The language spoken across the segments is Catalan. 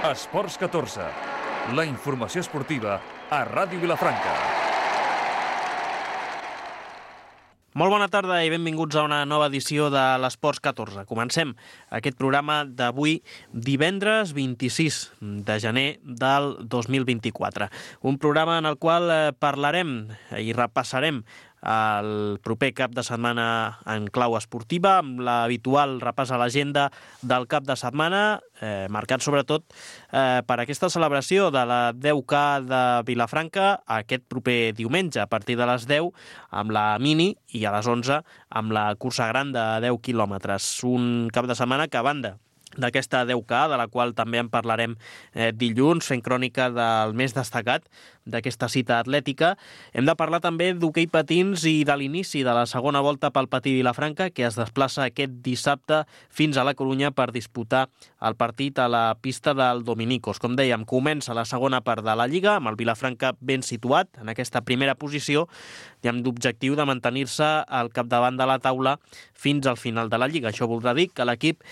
Esports 14, la informació esportiva a Ràdio Vilafranca. Molt bona tarda i benvinguts a una nova edició de l'Esports 14. Comencem aquest programa d'avui, divendres 26 de gener del 2024. Un programa en el qual parlarem i repassarem el proper cap de setmana en clau esportiva, amb l'habitual repàs a l'agenda del cap de setmana, marcat sobretot per aquesta celebració de la 10K de Vilafranca aquest proper diumenge, a partir de les 10, amb la mini, i a les 11 amb la cursa gran de 10 quilòmetres. Un cap de setmana que, a banda d'aquesta 10K, de la qual també en parlarem dilluns, fent crònica del més destacat d'aquesta cita atlètica, hem de parlar també d'hoquei patins i de l'inici de la segona volta pel Patí Vilafranca, que es desplaça aquest dissabte fins a la Corunya per disputar el partit a la pista del Dominicos. Com dèiem, comença la segona part de la Lliga, amb el Vilafranca ben situat en aquesta primera posició i amb l'objectiu de mantenir-se al capdavant de la taula fins al final de la Lliga. Això voldrà dir que l'equip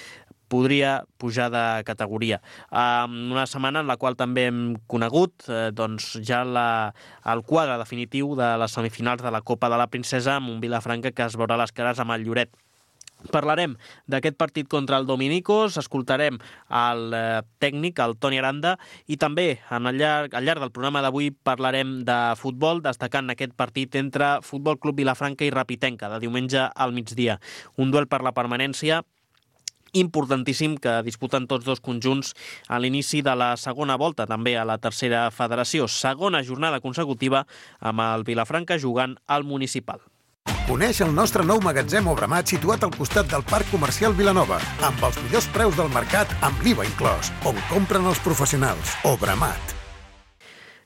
podria pujar de categoria. Una setmana en la qual també hem conegut ja el quadre definitiu de les semifinals de la Copa de la Princesa, amb un Vilafranca que es veurà les cares amb el Lloret. Parlarem d'aquest partit contra el Dominicos, escoltarem el tècnic, el Toni Aranda, i també al llarg del programa d'avui parlarem de futbol, destacant aquest partit entre Futbol Club Vilafranca i Rapitenca, de diumenge al migdia. Un duel per la permanència importantíssim que disputen tots dos conjunts a l'inici de la segona volta, també a la tercera federació. Segona jornada consecutiva amb el Vilafranca jugant al Municipal. Coneix el nostre nou magatzem Obramat situat al costat del Parc Comercial Vilanova, amb els millors preus del mercat amb l'IVA inclòs, on compren els professionals. Obramat.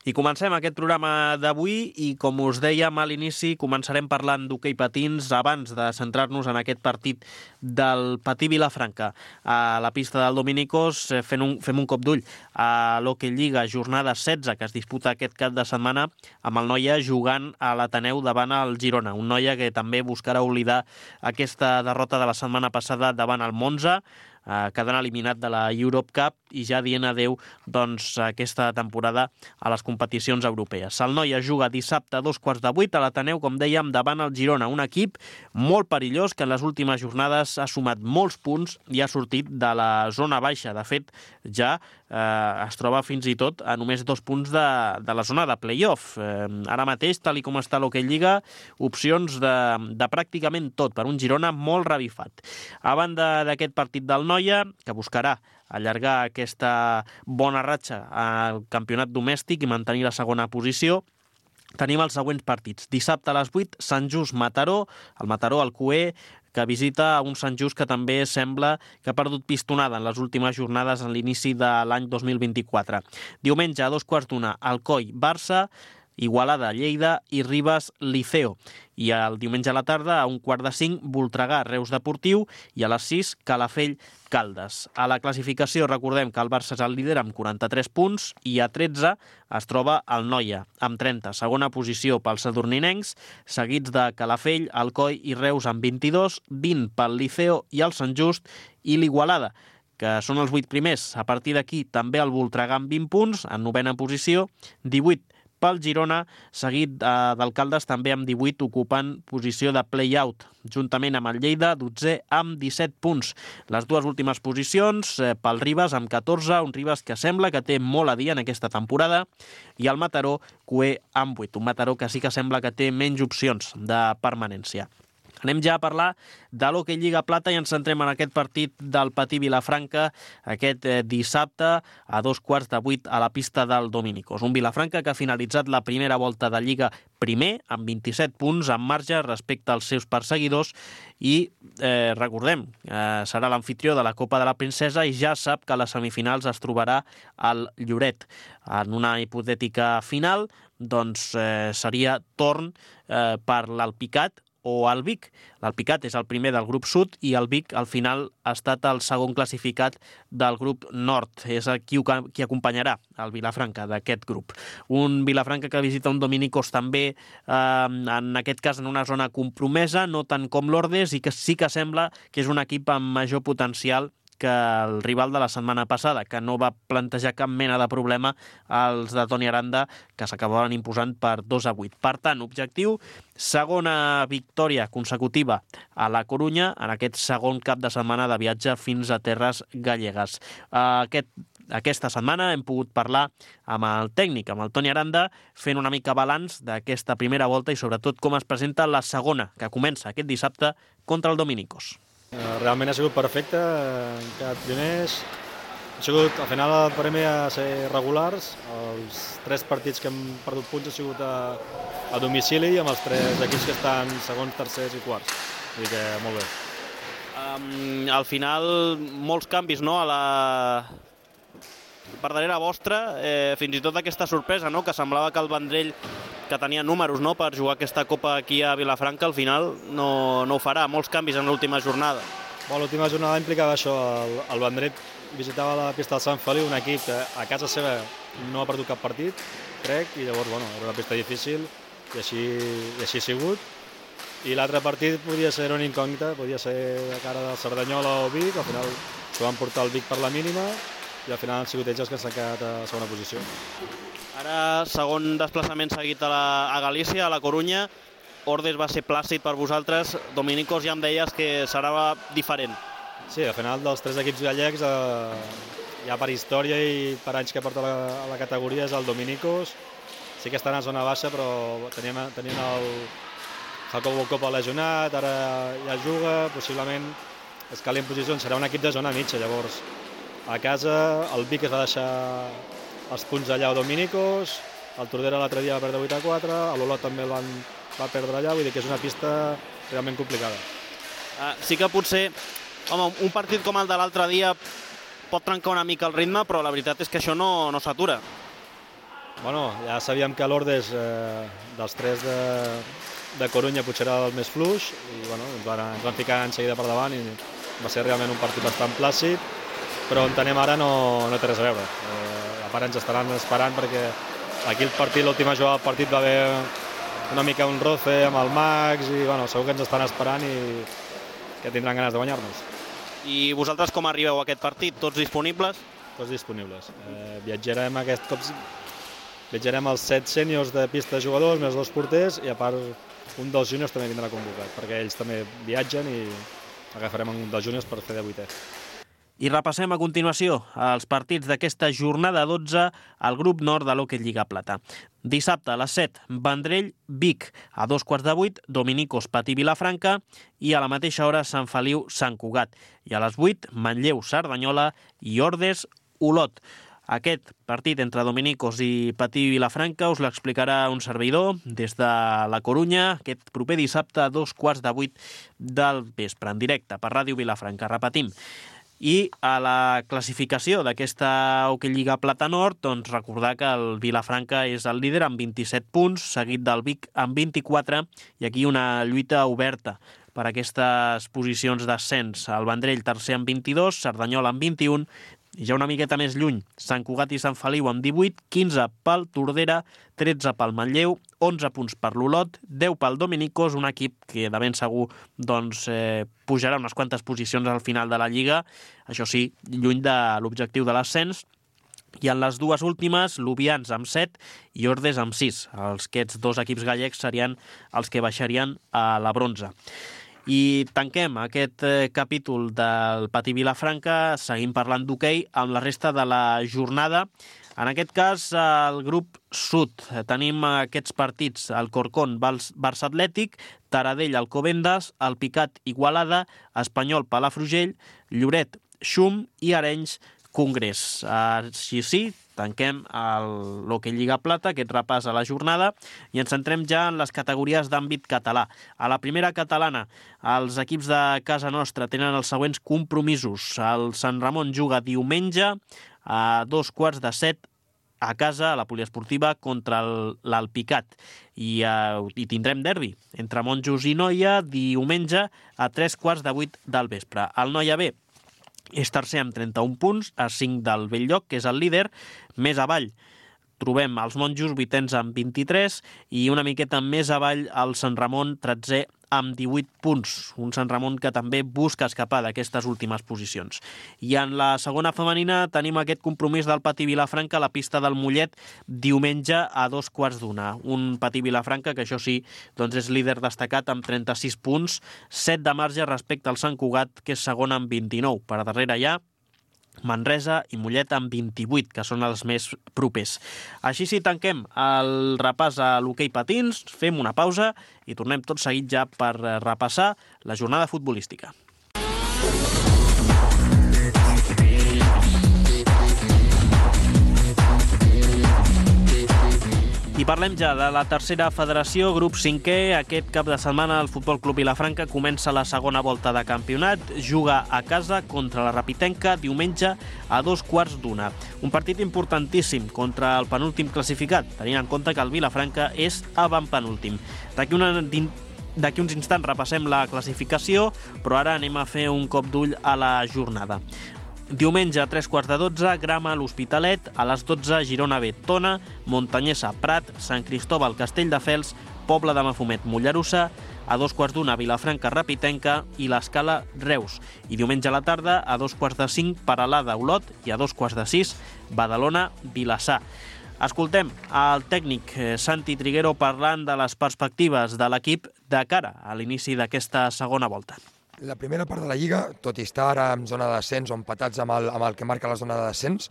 I comencem aquest programa d'avui i, com us dèiem a l'inici, començarem parlant d'hoquei patins abans de centrar-nos en aquest partit del Patí Vilafranca. A la pista del Dominicos fem un cop d'ull a l'Hockey Lliga, jornada 16, que es disputa aquest cap de setmana, amb el Noia jugant a l'Ateneu davant el Girona. Un Noia que també buscarà oblidar aquesta derrota de la setmana passada davant el Monza, quedant eliminat de la Europe Cup i ja dient adeu aquesta temporada a les competicions europees. El Noia juga dissabte a 7:15 a l'Ateneu, com dèiem, davant el Girona, un equip molt perillós que en les últimes jornades ha sumat molts punts i ha sortit de la zona baixa. De fet, ja es troba fins i tot a només 2 punts de la zona de play-off. Ara mateix, tal com està l'Hockey Lliga, opcions de pràcticament tot per un Girona molt revifat. A banda d'aquest partit del Noia, que buscarà allargar aquesta bona ratxa al campionat domèstic i mantenir la segona posició, tenim els següents partits. Dissabte a les 8, Sant Just-Mataró, el Mataró al Cué, que visita un Sant Just que també sembla que ha perdut pistonada en les últimes jornades en l'inici de l'any 2024. Diumenge a 2:15, Alcoi-Barça, Igualada, Lleida i Ribes, Liceo. I el diumenge a la tarda, a 4:45, Voltregà, Reus Deportiu, i a les 6, Calafell, Caldes. A la classificació recordem que el Barça és el líder amb 43 punts i a 13 es troba el Noia, amb 30. Segona posició pels sadurninencs, seguits de Calafell, Alcoi i Reus amb 22, 20 pel Liceo i el Sant Just i l'Igualada, que són els 8 primers. A partir d'aquí també el Voltregà amb 20 punts, en 9a posició, 18 pel Girona, seguit d'Alcaldes també amb 18, ocupant posició de play-out, juntament amb el Lleida, 12 amb 17 punts. Les dues últimes posicions pel Ribes amb 14, un Ribes que sembla que té molt a dir en aquesta temporada, i el Mataró, Cué amb 8, un Mataró que sí que sembla que té menys opcions de permanència. Anem ja a parlar de l'Hockey Lliga Plata i ens centrem en aquest partit del Patí Vilafranca aquest dissabte a 7:15 a la pista del Dominicos. Un Vilafranca que ha finalitzat la primera volta de Lliga primer, amb 27 punts en marge respecte als seus perseguidors i recordem, serà l'anfitrió de la Copa de la Princesa i ja sap que a les semifinals es trobarà al Lloret. En una hipotètica final, seria torn per l'Alpicat o el Vic. L'Alpicat és el primer del grup sud i el Vic al final ha estat el segon classificat del grup nord. És qui acompanyarà el Vilafranca d'aquest grup. Un Vilafranca que visita un Dominicos també, en aquest cas en una zona compromesa, no tant com l'Ordes, i que sí que sembla que és un equip amb major potencial que el rival de la setmana passada, que no va plantejar cap mena de problema als de Toni Aranda, que s'acabaven imposant per 2-8. Per tant, objectiu, segona victòria consecutiva a La Corunya en aquest segon cap de setmana de viatge fins a terres gallegues. Aquesta setmana hem pogut parlar amb el tècnic, amb el Toni Aranda, fent una mica balanç d'aquesta primera volta i sobretot com es presenta la segona, que comença aquest dissabte contra el Dominicos. Realment ha sigut perfecte, hem quedat pioners. Al final el premi ha ser regulars. Els 3 partits que hem perdut punts han sigut a domicili amb els 3 equips que estan segons, tercers i quarts. Vull dir que molt bé. Al final, molts canvis, no?, per darrere vostra, fins i tot aquesta sorpresa, no?, que semblava que el Vendrell, que tenia números, no?, per jugar aquesta Copa aquí a Vilafranca, al final no ho farà. Molts canvis en l'última jornada. L'última jornada implicava això. El Vendrell visitava la pista del Sant Feliu, un equip que a casa seva no ha perdut cap partit, crec, i llavors, era una pista difícil i així ha sigut. I l'altre partit podia ser una incògnita, podia ser a cara del Cerdanyola o Vic, al final s'ho van portar el Vic per la mínima i al final han sigut ells els que s'han quedat a segona posició. Ara, segon desplaçament seguit a Galícia, a La Corunya. Ordes va ser plàcid per vosaltres. Dominicos ja em deies que serà diferent. Sí, al final dels 3 equips gallecs, ja per història i per anys que porta a la categoria, és el Dominicos. Sí que estan a zona baixa, però tenien el Jacobo Copa lesionat, ara ja juga, possiblement escali en posicions, serà un equip de zona mitja. Llavors, a casa, el Vic es va deixar els punts allà a Dominicos, el Tordera l'altre dia va perdre 8-4, l'Olot també el va perdre allà, vull dir que és una pista realment complicada. Sí que potser, un partit com el de l'altre dia pot trencar una mica el ritme, però la veritat és que això no s'atura. Ja sabíem que l'Ordes, dels 3 de Corunya, potser era el més fluix, i ens van ficar en seguida per davant i va ser realment un partit bastant plàcid, però on anem ara no té res a veure. A part ens estaran esperant perquè aquí l'última jugada del partit va haver una mica un roce amb el Max i segur que ens estan esperant i que tindran ganes de guanyar-nos. I vosaltres com arribeu a aquest partit? Tots disponibles? Tots disponibles. Viatjarem aquest cop, viatjarem els 7 sèniors de pista de jugadors, més 2 porters, i a part un dels júniors també vindrà convocat, perquè ells també viatgen i agafarem un dels júniors per fer de 8è. I repassem a continuació els partits d'aquesta jornada 12 al grup nord de l'Hockey Lliga Plata. Dissabte a les 7, Vendrell, Vic. A 2:15, Dominicos, Patí, Vilafranca. I a la mateixa hora, Sant Feliu, Sant Cugat. I a les 8, Manlleu, Cerdanyola i Ordes, Olot. Aquest partit entre Dominicos i Patí i Vilafranca us l'explicarà un servidor des de La Corunya aquest proper dissabte a 2:15 del vespre, en directe per Ràdio Vilafranca. Repetim. I a la classificació d'aquesta Hockey Lliga Plata Nord, doncs recordar que el Vilafranca és el líder amb 27 punts, seguit del Vic amb 24, i aquí una lluita oberta per aquestes posicions d'ascens. El Vendrell tercer amb 22, Cerdanyola amb 21, i ja una miqueta més lluny, Sant Cugat i Sant Feliu amb 18, 15 pel Tordera, 13 pel Manlleu, 11 punts per l'Olot, 10 pel Dominicos, un equip que de ben segur pujarà unes quantes posicions al final de la Lliga, això sí, lluny de l'objectiu de l'ascens. I en les dues últimes, Lubians amb 7 i Ordes amb 6. Aquests 2 equips gallecs serien els que baixarien a la bronze. I tanquem aquest capítol del Patí Vilafranca, seguim parlant d'hoquei amb la resta de la jornada. En aquest cas, al grup sud tenim aquests partits: el Corcón, Barça Atlètic, Taradell, Alcobendas, el Picat, Igualada, Espanyol, Palafrugell, Lloret, Xum i Arenys, Congrés. Així sí, tanquem l'Hockey Lliga Plata, aquest repàs a la jornada, i ens centrem ja en les categories d'àmbit català. A la primera catalana, els equips de casa nostra tenen els següents compromisos. El Sant Ramon juga diumenge a 6:15 a casa, a la poliesportiva, contra l'Alpicat. I tindrem derbi entre Monjos i Noia diumenge a 7:15 del vespre. El Noia B és tercer amb 31 punts, a 5 del Belllloc, que és el líder. Més avall trobem els Monjos, vuitens amb 23, i una miqueta més avall el Sant Ramon, 13è amb 18 punts, un Sant Ramon que també busca escapar d'aquestes últimes posicions. I en la segona femenina tenim aquest compromís del Patí Vilafranca a la pista del Mollet diumenge a 2:15. Un Patí Vilafranca que, això sí, doncs és líder destacat amb 36 punts, 7 de marge respecte al Sant Cugat, que és segon amb 29. Per darrere hi ha Manresa i Mollet amb 28, que són els més propers. Així sí, tanquem el repàs a l'hoquei patins, fem una pausa i tornem tot seguit ja per repassar la jornada futbolística. I parlem ja de la tercera federació, grup 5è. Aquest cap de setmana el Futbol Club Vilafranca comença la segona volta de campionat. Juga a casa contra la Rapitenca diumenge a 2:15. Un partit importantíssim contra el penúltim classificat, tenint en compte que el Vilafranca és avantpenúltim. D'aquí uns instants repassem la classificació, però ara anem a fer un cop d'ull a la jornada. Diumenge a 3:15, Grama a l'Hospitalet, a les 12 Girona B, Tona, Montanyesa, Prat, Sant Cristòbal, Castelldefels, Pobla de Mafumet, Mollerussa, a 2:15 Vilafranca, Rapitenca i l'Escala, Reus. I diumenge a la tarda a 2:45 Peralada, Olot i a 2:15 Badalona, Vilassar. Escoltem el tècnic Santi Triguero parlant de les perspectives de l'equip de cara a l'inici d'aquesta segona volta. La primera part de la Lliga, tot i estar ara en zona de descens o empatats amb el que marca la zona de descens,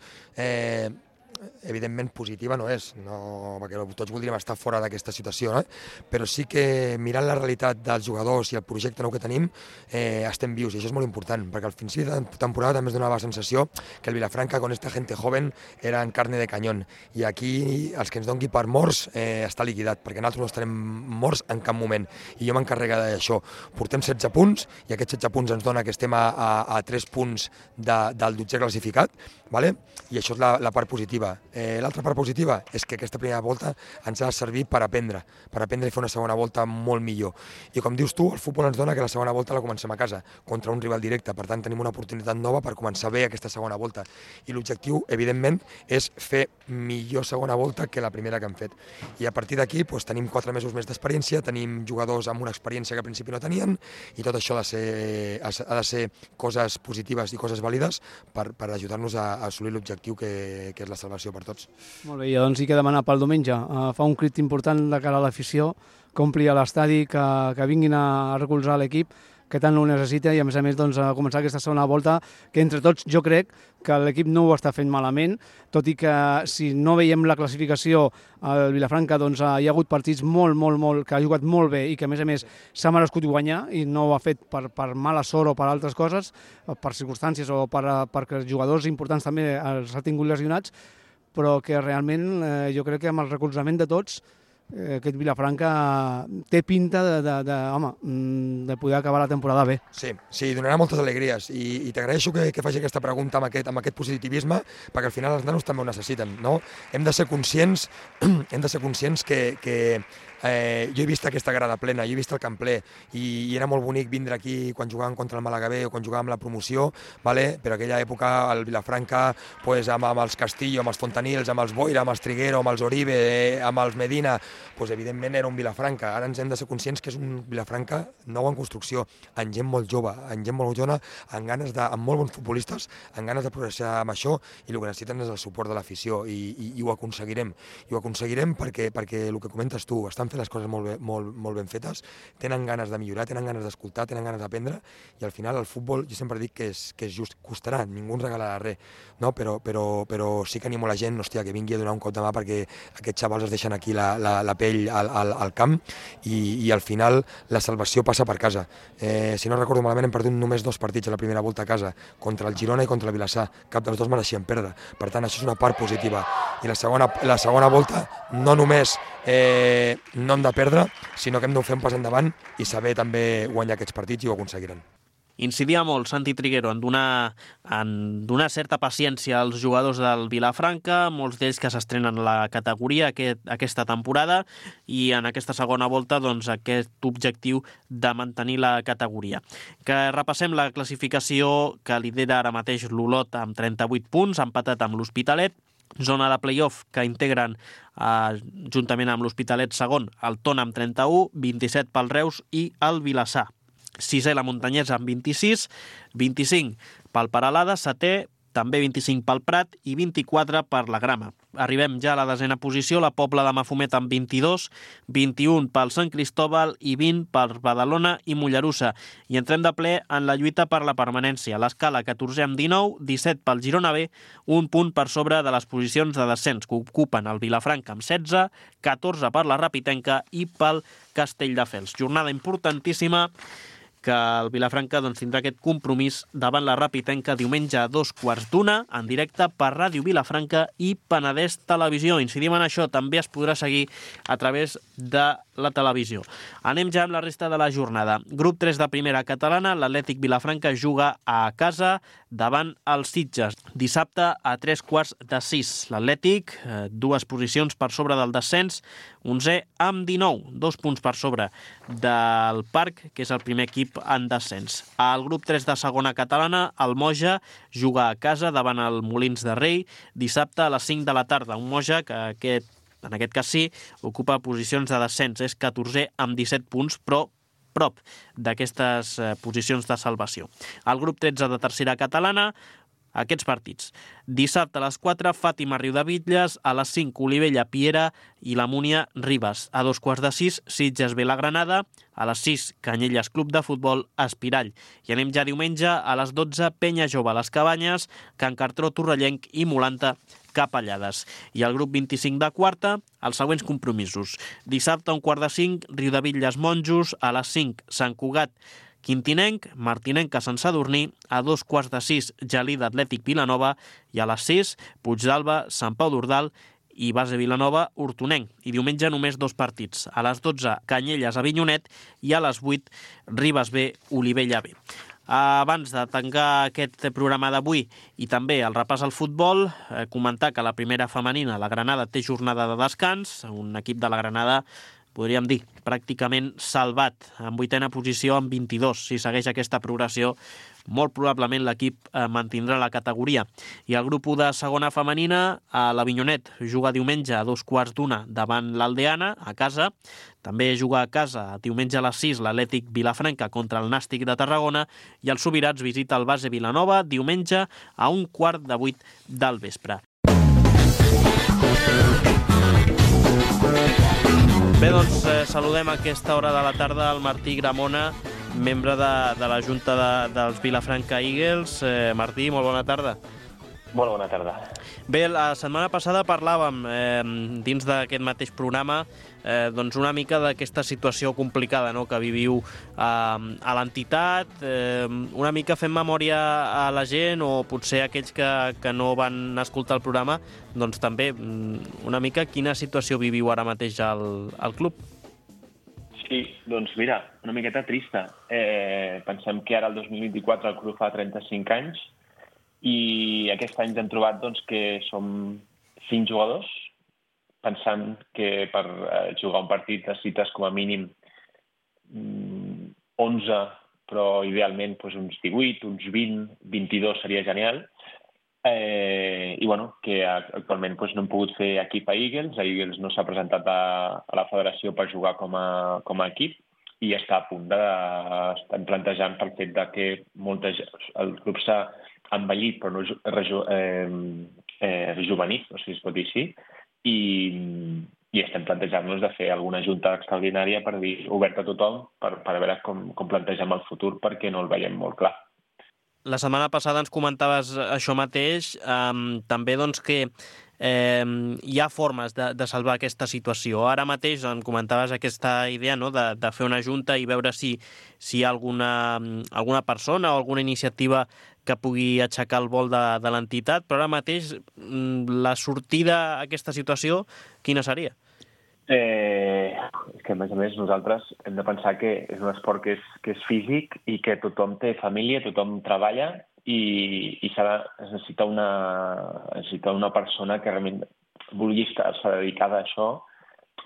evidentment positiva no és, perquè tots voldríem estar fora d'aquesta situació, no? Però sí que mirant la realitat dels jugadors i el projecte nou que tenim, estem vius, i això és molt important, perquè al principi de temporada també es donava la sensació que el Vilafranca, con esta gente joven, era en carne de cañón, i aquí els que ens doni per morts està liquidat, perquè nosaltres no estarem morts en cap moment, i jo m'encarrega d'això. Portem 16 punts, i aquests 16 punts ens dona que estem a 3 punts del 12è classificat, vale? I això és la part positiva. L'altra part positiva és que aquesta primera volta ens ha de servir per aprendre i fer una segona volta molt millor. I com dius tu, el futbol ens dona que la segona volta la comencem a casa, contra un rival directe, per tant tenim una oportunitat nova per començar bé aquesta segona volta. I l'objectiu, evidentment, és fer millor segona volta que la primera que hem fet. I a partir d'aquí tenim 4 mesos més d'experiència, tenim jugadors amb una experiència que al principi no tenien, i tot això ha de ser coses positives i coses vàlides per ajudar-nos a assolir l'objectiu que és la salvació per tots. Molt bé, i doncs sí que demanar pel diumenge. Fa un crit important de cara a l'afició, que ompli a l'estadi, que vinguin a recolzar l'equip, que tant ho necessita, i a més doncs, a començar aquesta segona volta, que entre tots jo crec que l'equip no ho està fent malament, tot i que si no veiem la classificació al Vilafranca, doncs hi ha hagut partits molt, que ha jugat molt bé i que a més s'ha merescut guanyar i no ho ha fet per mala sort o per altres coses, per circumstàncies o perquè els jugadors importants també els ha tingut lesionats, però que realment jo crec que amb el recolzament de tots aquest Vilafranca té pinta de poder acabar la temporada bé. Sí, donarà moltes alegries i t'agraeixo que faci aquesta pregunta amb aquest positivisme, perquè al final els nanos també ho necessiten, no? Hem de ser conscients que jo he vist aquesta grada plena, jo he vist el camp ple i era molt bonic vindre aquí quan jugàvem contra el Màlaga B o quan jugàvem la promoció, però aquella època el Vilafranca amb els Castillo, amb els Fontanils, amb els Boira, amb els Triguero, amb els Oribe, amb els Medina, evidentment era un Vilafranca. Ara ens hem de ser conscients que és un Vilafranca nou en construcció, amb gent molt jove, amb molt bons futbolistes, amb ganes de progressar amb això, i el que necessiten és el suport de l'afició i ho aconseguirem. I ho aconseguirem perquè el que comentes tu, estan fent les coses molt ben fetes, tenen ganes de millorar, tenen ganes d'escoltar, tenen ganes d'aprendre, i al final el futbol, jo sempre dic que és just, costarà, ningú ens regalarà res, no? Però sí que animo la gent, que vingui a donar un cop de mà, perquè aquests xavals es deixen aquí la pell al camp, i al final la salvació passa per casa. Si no recordo malament, hem perdut només 2 partits a la primera volta a casa, contra el Girona i contra el Vilassar, cap dels dos mereixien perdre, per tant això és una part positiva. I la segona volta no només no hem de perdre, sinó que hem de fer un pas endavant i saber també guanyar aquests partits, i ho aconseguiran. Incidia molt Santi Triguero en donar certa paciència als jugadors del Vilafranca, molts d'ells que s'estrenen la categoria aquesta temporada, i en aquesta segona volta aquest objectiu de mantenir la categoria. Que repassem la classificació, que lidera ara mateix l'Olot amb 38 punts, empatat amb l'Hospitalet, zona de play-off que integren juntament amb l'Hospitalet segon el Tona amb 31, 27 pel Reus i el Vilassar. Sisè la Muntanyesa amb 26, 25 pel Peralada, setè, també 25 pel Prat i 24 per la Grama. Arribem ja a la desena posició, la Pobla de Mafumet amb 22, 21 pel Sant Cristóbal i 20 per Badalona i Mollerussa. I entrem de ple en la lluita per la permanència. L'Escala, 14è amb 19, 17 pel Girona B, un punt per sobre de les posicions de descens que ocupen el Vilafranca amb 16, 14 per la Rapitenca i pel Castelldefels. Jornada importantíssima que el Vilafranca tindrà aquest compromís davant la Rapitenca diumenge a 2:15 en directe per Ràdio Vilafranca i Penedès Televisió. Incidim en això, també es podrà seguir a través de la televisió. Anem ja amb la resta de la jornada. Grup 3 de primera catalana, l'Atlètic Vilafranca juga a casa davant els Sitges. Dissabte a 5:45. L'Atlètic, 2 posicions per sobre del descens, 11è amb 19, 2 punts per sobre del Parc, que és el primer equip en descens. Al grup 3 de segona catalana, el Moja juga a casa davant el Molins de Rei dissabte a les 5 de la tarda. Un Moja que en aquest cas sí, ocupa posicions de descens. És 14è amb 17 punts, però prop d'aquestes posicions de salvació. Al grup 13 de tercera catalana, aquests partits. Dissabte a les 4, Fàtima Riudebitlles, a les 5, Olivella Piera i la Múnia Ribes. A 2:15, Sitges Viлагranada, a les 6, Canyelles Club de Futbol Espirall. I anem ja diumenge a les 12, Penya Jove a les Cabanyes, Can Cartró Torrellenc i Molanta Capellades. I al grup 25 de quarta, els següents compromisos. Dissabte a 4:05, Riudebitlles Monjos, a les 5, Sant Cugat Quintinenc, Martinenca Sant Sadurní, a 2:15, Gelida Atlètic Vilanova i a les 6, Puigdàlber, Sant Pau d'Ordal i Base Vilanova Hortonenc. I diumenge només 2 partits. A les 12, Canyelles Avinyonet i a les 8, Ribes B, Olivella B. Abans de tancar aquest programa d'avui i també el repàs al futbol, comentar que la primera femenina, la Granada, té jornada de descans, un equip de la Granada, podríem dir, pràcticament salvat, en 8a posició amb 22. Si segueix aquesta progressió, molt probablement l'equip mantindrà la categoria. I el grup 1 de segona femenina, l'Avinyonet, juga diumenge a 2:15 davant l'Aldeana, a casa. També juga a casa diumenge a les 6 l'Atlètic Vilafranca contra el Nàstic de Tarragona i el Subirats visita el Base Vilanova diumenge a 7:15 del vespre. Bé, doncs saludem a aquesta hora de la tarda el Martí Gramona, membre de la Junta dels Vilafranca Eagles. Martí, molt bona tarda. Molt bona tarda. Bé, la setmana passada parlàvem dins d'aquest mateix programa doncs una mica d'aquesta situació complicada, no?, que viviu a l'entitat, una mica fent memòria a la gent o potser aquells que no van escoltar el programa, doncs també una mica quina situació viviu ara mateix al club. Sí, doncs mira, una miqueta trista. Pensem que ara el 2024 el club fa 35 anys i aquest any hem trobat doncs, que som 5 jugadors, pensant que per jugar un partit necessites com a mínim 11, però idealment doncs, uns 18, uns 20, 22 seria genial. I bueno, que actualment doncs, no hem pogut fer equip a Eagles. Eagles no s'ha presentat a la federació per jugar com a equip i està a punt estem plantejant pel fet de que el club s'ha envellit però no rejuvenit, no sé si es pot dir així, i estem plantejant-nos de fer alguna junta extraordinària per dir oberta a tothom per veure com plantegem el futur perquè no el veiem molt clar. La setmana passada ens comentaves això mateix, també doncs que hi ha formes de salvar aquesta situació. Ara mateix em comentaves aquesta idea, no?, de fer una junta i veure si hi ha alguna persona o alguna iniciativa que pugui aixecar el vol de l'entitat, però ara mateix la sortida a aquesta situació, quina seria? És que, a més, nosaltres hem de pensar que és un esport que és físic i que tothom té família, tothom treballa i es necessita una persona que realment vulgui estar dedicada a això,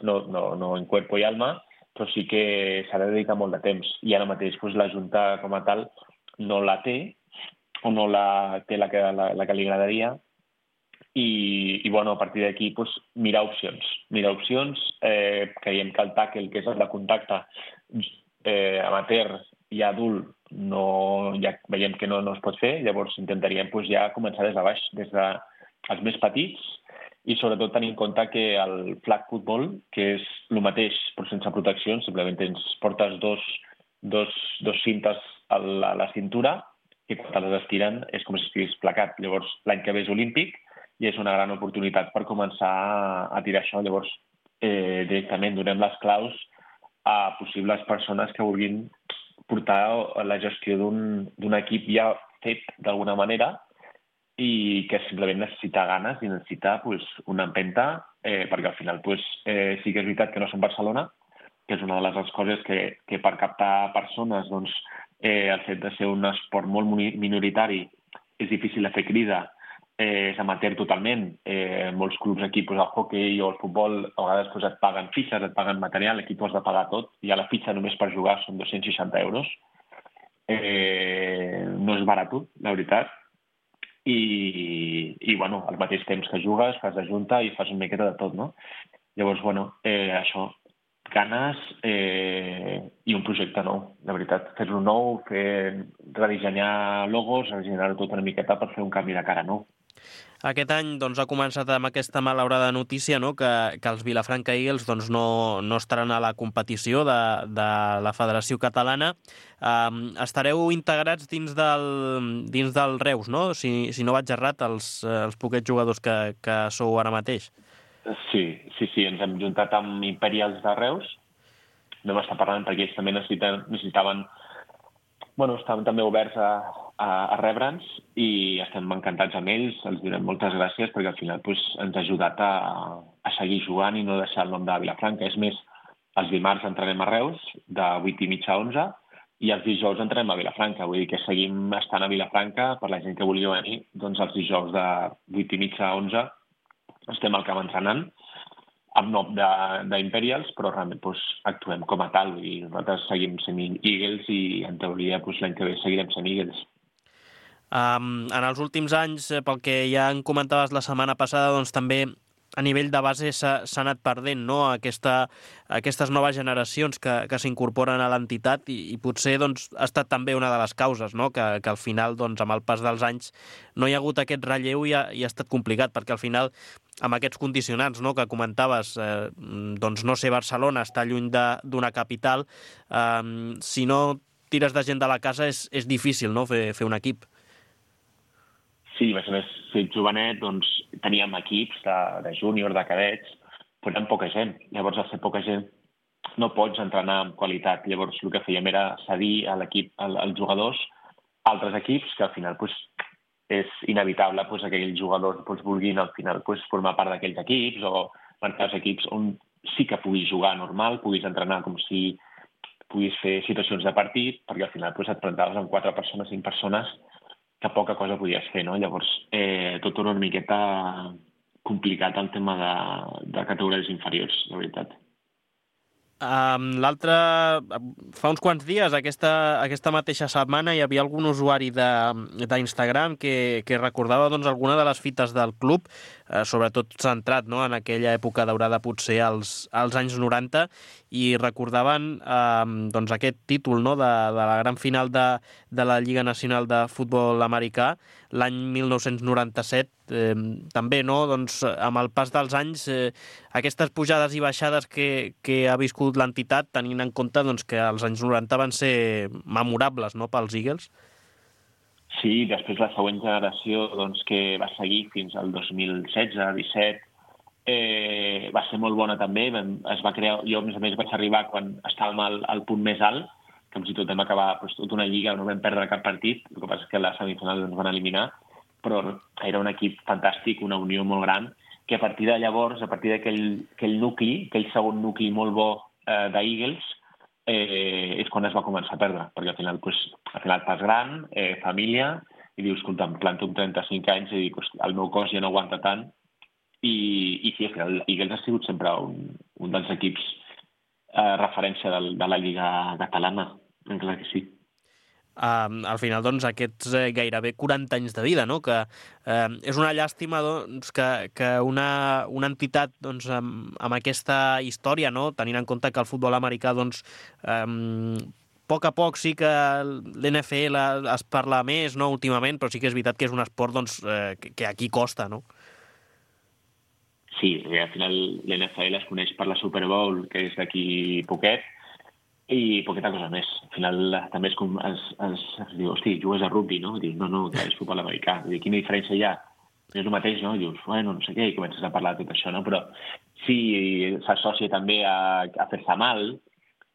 no en cuerpo i alma, però sí que s'ha de dedicar molt de temps. I ara mateix doncs, la Junta com a tal no la té, o no la té la que li agradaria, i bueno, a partir d'aquí doncs, mirar opcions. Creiem que el tàquel, que és el de contacte amateur i adult, ja veiem que no es pot fer, llavors intentaríem doncs, ja començar des de baix, des dels més petits, i sobretot tenir en compte que el flag football, que és el mateix però sense proteccions, simplement portes dos cintes a la cintura i quan te les estiren és com si estigués placat. Llavors l'any que ve és olímpic i és una gran oportunitat per començar a tirar això. Llavors directament donem les claus a possibles persones que vulguin portar la gestió d'un equip ja fet d'alguna manera i que simplement necessita ganes i necessita una empenta, perquè al final sí que és veritat que no som Barcelona, que és una de les coses que per captar persones el fet de ser un esport molt minoritari és difícil de fer crida, és amateur totalment. Molts clubs aquí, el hoquei o el futbol, a vegades et paguen fitxes, et paguen material, aquí tu has de pagar tot, i a la fitxa només per jugar són 260 euros. No és barat, la veritat. I bueno, al mateix temps que jugues, fas de junta i fas una miqueta de tot, no? Llavors, bueno, això, ganes i un projecte nou, de veritat. Fer-lo nou, redissenyar logos, redissenyar-ho tot una miqueta per fer un canvi de cara nou. Aquest any ha començat amb aquesta malaurada notícia, no? que els Vilafranca Eagles no estaran a la competició de la Federació Catalana. Estareu integrats dins del Reus, no? Si no vaig errat, els poquets jugadors que sou ara mateix. Sí, ens hem juntat amb Imperials de Reus. No m'està parlant perquè ells també necessitaven... Bueno, estaven també oberts a rebre'ns i estem encantats amb ells, els donem moltes gràcies perquè al final ens ha ajudat a seguir jugant i no deixar el nom de Vilafranca. És més, els dimarts entrenem a Reus de 8:30 a 11 i els dijous entrenem a Vilafranca. Vull dir que seguim estant a Vilafranca, per la gent que vulgui venir, doncs els dijous de 8:30 a 11 estem al camp entrenant amb nom d'Imperials, però realment actuem com a tal i nosaltres seguim sent Eagles i en teoria l'any que ve seguirem sent Eagles. En els últims anys, pel que ja en comentaves la setmana passada, doncs també a nivell de base s'ha anat perdent, no? Aquestes noves generacions que s'incorporen a l'entitat i potser ha estat també una de les causes, no? Que al final, amb el pas dels anys, no hi ha hagut aquest relleu i ha estat complicat, perquè al final, amb aquests condicionants, no? Que comentaves, no ser Barcelona, estar lluny d'una capital, si no tires de gent de la casa és difícil, no? fer un equip. Sí, a més, si ets jovenet, teníem equips de júnior, de cadets, però eren poca gent. Llavors, al ser poca gent, no pots entrenar amb qualitat. Llavors, el que fèiem era cedir a l'equip, als jugadors, altres equips, que al final és inevitable que aquells jugadors vulguin al final formar part d'aquells equips o marcar els equips on sí que puguis jugar normal, puguis entrenar com si puguis fer situacions de partit, perquè al final et plantaves amb 4 persones, 5 persones, que poca cosa podies fer, no? Llavors, tot era una miqueta complicat el tema de categories inferiors, la veritat. L'altre, fa uns quants dies, aquesta mateixa setmana, hi havia algun usuari d'Instagram que recordava alguna de les fites del club, sobretot centrat en aquella època daurada potser als anys 90, i recordaven aquest títol de la gran final de la Lliga Nacional de Futbol Americà l'any 1997. També, amb el pas dels anys, aquestes pujades i baixades que ha viscut l'entitat, tenint en compte que els anys 90 van ser memorables, no?, pels Eagles. Sí, després la següent generació que va seguir fins al 2016-17 va ser molt bona també. Es va crear, jo a més vaig arribar quan estàvem al punt més alt, que fins i tot vam acabar tota una lliga, no vam perdre cap partit, el que passa és que la semifinal ens van eliminar, però era un equip fantàstic, una unió molt gran, que a partir de llavors, a partir d'aquell nucli, aquell segon nucli molt bo d'Eagles, és quan es va començar a perdre, perquè al final fas gran, família, i dius, escolta, em planto amb 35 anys i dic, el meu cos ja no aguanta tant, i sí, el Eagles ha sigut sempre un dels equips referència de la Lliga Catalana, clar que sí. al final, doncs, aquests gairebé 40 anys de vida, no? Que és una llàstima, doncs, que una entitat, doncs, amb aquesta història, no? Tenint en compte que el futbol americà, doncs, a poc sí que l'NFL es parla més, no?, últimament, però sí que és veritat que és un esport, doncs, que aquí costa, no? Sí, al final l'NFL es coneix per la Super Bowl, que és d'aquí poquet, i poqueta cosa més. Al final també es diu, hosti, jugues a rugby, no? Dius, no, que és futbol americà. Diu, quina diferència hi ha? És el mateix, no? Dius, bueno, no sé què, i comences a parlar de tot això, no? Però sí, s'associa també a fer-se mal,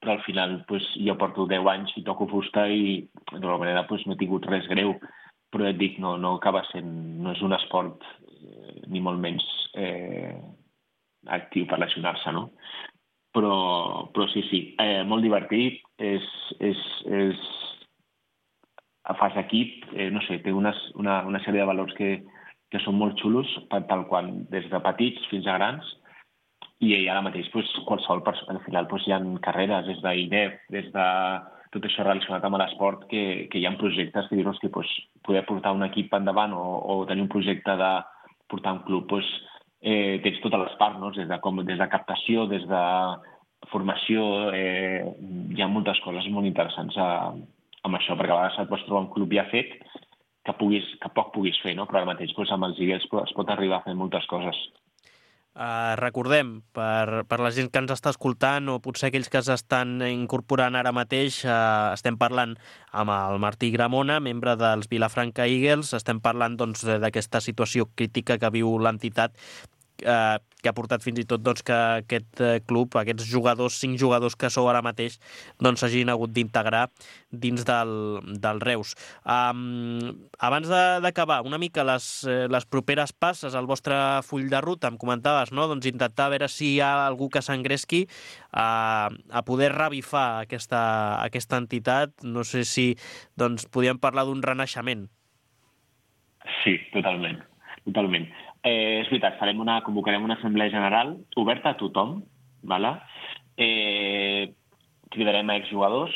però al final pues, jo porto 10 anys i toco fusta i d'alguna manera pues, no he tingut res greu. Però et dic, no acaba sent, no és un esport ni molt menys actiu per lesionar-se, no? Però sí, molt divertit, fas equip, no sé, té una sèrie de valors que són molt xulos, tal qual, des de petits fins a grans, i ara mateix qualsevol persona, al final hi ha carreres des d'INEF, des de tot això relacionat amb l'esport, que hi ha projectes que dius, hosti, poder portar un equip endavant o tenir un projecte de portar un club, tens totes les parts, no? Des de captació, des de formació, hi ha moltes coses molt interessants amb això, perquè a vegades et pots trobar un club ja fet que poc puguis fer, no? Però ara mateix amb els Eagles es pot arribar a fer moltes coses. Recordem, per la gent que ens està escoltant o potser aquells que s'estan incorporant ara mateix, estem parlant amb el Martí Gramona, membre dels Vilafranca Eagles, estem parlant doncs, d'aquesta situació crítica que viu l'entitat, que ha portat fins i tot doncs, que aquest club, aquests jugadors, 5 jugadors que sou ara mateix, doncs s'hagin hagut d'integrar dins del Reus. Abans d'acabar, una mica les properes passes al vostre full de ruta, em comentaves, no? Doncs intentar veure si hi ha algú que s'engresqui a poder revifar aquesta entitat. No sé si doncs, podíem parlar d'un renaixement. Sí, totalment. És veritat, convocarem una assemblea general oberta a tothom, ¿vale? Cridarem a exjugadors,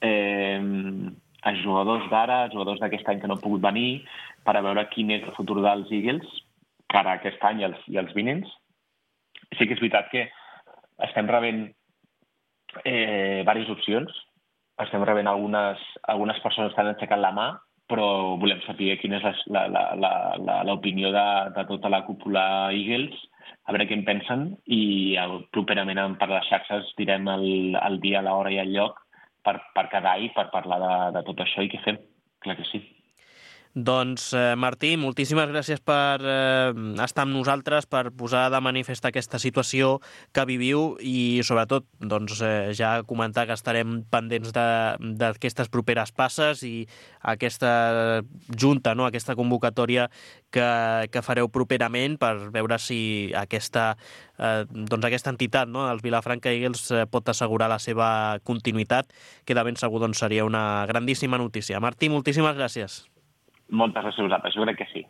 a jugadors d'ara, a jugadors d'aquest any que no han pogut venir, per a veure quin és el futur dels Eagles, cara a aquest any i els vinents. Sí que és veritat que estem rebent diverses opcions, estem rebent algunes persones que han aixecat la mà, però volem saber quina és l'opinió de tota la cúpula Eagles, a veure què en pensen, i properament per les xarxes direm el dia, l'hora i el lloc per quedar i per parlar de tot això i què fem. Clar que sí. Doncs, Martí, moltíssimes gràcies per estar amb nosaltres, per posar de manifest aquesta situació que viviu i, sobretot, doncs, ja comentar que estarem pendents d'aquestes properes passes i aquesta junta, no? Aquesta convocatòria que fareu properament per veure si aquesta entitat, no? Els Vilafranca Eagles pot assegurar la seva continuïtat, que de ben segur doncs, seria una grandíssima notícia. Martí, moltíssimes gràcies. Moltes gràcies a vosaltres, jo crec que sí.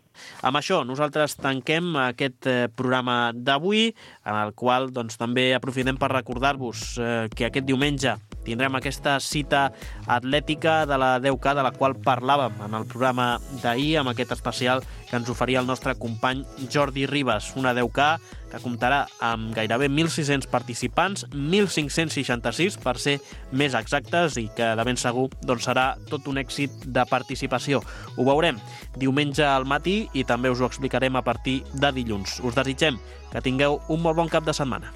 Amb això, nosaltres tanquem aquest programa d'avui, en el qual doncs, també aprofitem per recordar-vos que aquest diumenge tindrem aquesta cita atlètica de la 10K, de la qual parlàvem en el programa d'ahir, amb aquest especial que ens oferia el nostre company Jordi Ribas. Una 10K que comptarà amb gairebé 1.600 participants, 1.566 per ser més exactes, i que de ben segur doncs, serà tot un èxit de participació. Ho veurem diumenge al matí i també us ho explicarem a partir de dilluns. Us desitgem que tingueu un molt bon cap de setmana.